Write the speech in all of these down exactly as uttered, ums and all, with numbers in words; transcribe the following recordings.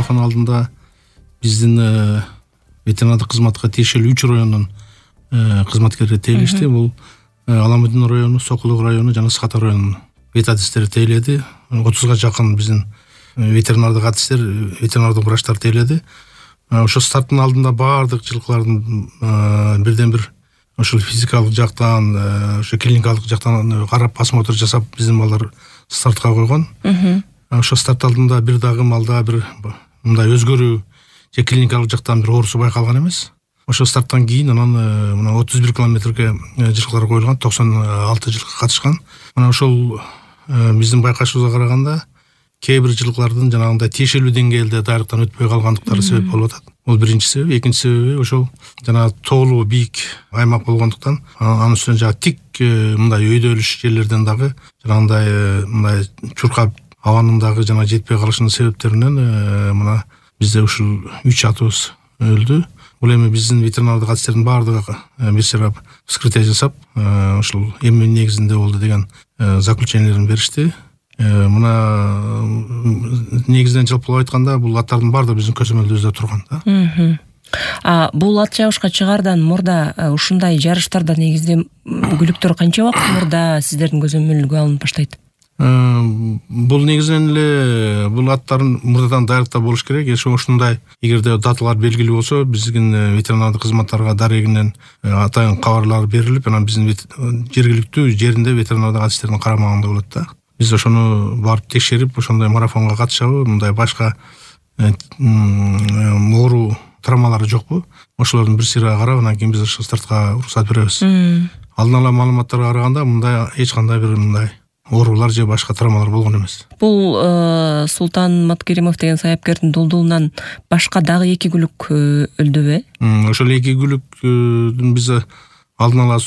марафон алдында биздин ветеринардык кызматка тиешелүү үч райондун кызматкерлери тейлешти. Бул Аламудин району, Сокулук району жана Саката районунун ветадистери тейледи. отузга жакын биздин ветеринардык адистер, ветеринардык врачтар тейледи. Ошо старттын алдында баардык жылкылардын бирден бир ошол физикалык жактан, ошо клиникалык жактан карап осмотр жасап биздин балдар стартка койгон. Ошо старт алдында бир дагы малда бир мындай өзгөрүү же клиникалык жактан бир оорусу байкалган эмес. Ошо старттан кийин анан мына отуз бир километрге жылкылар коюлган, токсон алты жылкы катышкан. Мына ошол биздин байкашыбызга караганда кээ бир жылкылардын жанагындай тиешелүү деңгээлде дайрыктан өтпөй калгандыктары себеп болуп атат. Бул биринчи себеби. Экинчи себеби ошол жана тоолуу бийик аймак болгондуктан анын үстүнө жана тик мындай өйдөлүш жерлерден дагы жанагындай мындай чуркап абанын дагы жана жетпей калышынын себептеринен мына бизде ушул үч атыбыз өлдү. Бул эми биздин ветеринардык адистердин баардыгы бир сырап вскрытие жасап, ушул эми негизинде болду деген заключениелерин беришти. Мына негизинен жалпылап айтканда бул аттардын баардыгы биздин көзөмөлдөбүздө турган да. А бул ат чабышка чыгаардан мурда ушундай жарыштарда негизде күлүктөр канча убакыт мурда сиздердин көзөмөлгө алынып баштайт? Бул негизинен эле бул аттарын мурдадан дайрыктап болуш керек. Ошондой эгерде даталар белгилүү болсо, биздин ветеринардык кызматтарга дарегинен атайын кабарлар берилип, анан биздин жергиликтүү жеринде ветеринардык адистердин карамагында болот да. Биз ошону барып текшерип, ошондой марафонго катышабы, мындай башка оору травмалары жокпу? Ошолордун бир сыйра карап, анан кийин биз ошо стартка уруксат беребиз. Алдын ала маалыматтарга караганда мындай эч кандай бир мындай оорулар же башка травмалар болгон эмес. Бул Султан Маткеримов деген саяпкердин дулдулунан башка дагы эки күлүк өлдүбү? Ошол эки күлүктүн биз алдын ала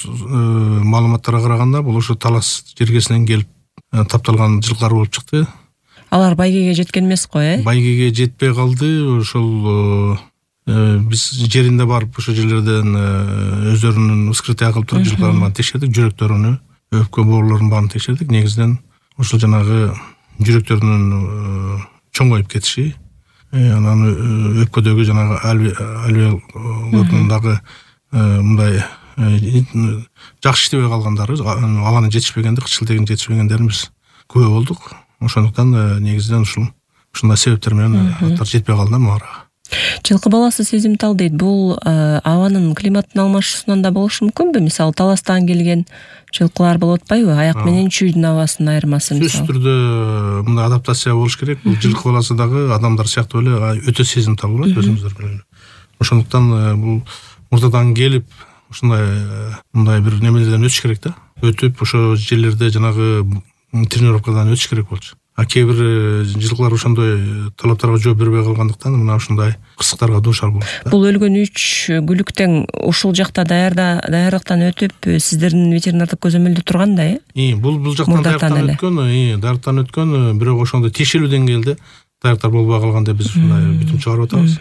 маалыматтарга караганда бул ошо Талас жергесинен келип тапталган жылкылар болуп чыкты. Алар байгеге жеткен эмес го, э? Байгеге жетпей калды. Ошол биз жеринде барып ошо жерлерден өздөрүнүн вскрытие кылып туруп жылкыларын текшердик, жүрөктөрүнү, өпкө боорулорун баарын текшердик. Негизинен ошол жанагы жүрөктөрүнүн чоңоюп кетиши, анан өпкөдөгү жанагы альвеолдагы мындай жакшы иштебей калгандары, абанын жетишпегенди, кычылтегин жетишпегендерин биз күбө болдук. Ошондуктан негизинен ушул ушундай себептер менен аттар жетпей калды мага. Жылкы баласы сезимтал дейт. Бул абанын климаттын алмашуусунан да болушу мүмкүнбү? Мисалы Таластан келген жылкылар болуп атпайбы? Аяк менен чүйдүн абасынын айырмасы мисалы. Сөзсүз түрдө мындай адаптация болуш керек. Бул жылкы баласы дагы адамдар сыяктуу эле өтө сезимтал болот, өзүңүздөр билет. Ошондуктан бул мурдадан келип ушундай мындай бир немелерден өтүш керек да. Өтүп ошо жерлерде жанагы тренировкадан өтүш керек болчу. А кээ бир жылкылар ошондой талаптарга жооп бербей калгандыктан мына ушундай кырсыктарга дуушар болуп. Бул өлгөн үч күлүктен ушул жакта даярда даярдыктан өтүп сиздердин ветеринардык көзөмөлдө турган да, э? И бул бул жактан даярдыктан өткөн, и даярдыктан өткөн, бирок ошондой тиешелүү деңгээлде даярдыктар болбой калганда биз ушундай бүтүм чыгарып атабыз.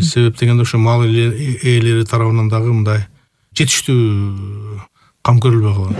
Себеп дегенде ошо мал ээлери тарабынан дагы мындай жетиштүү кам көрүлбөй калган.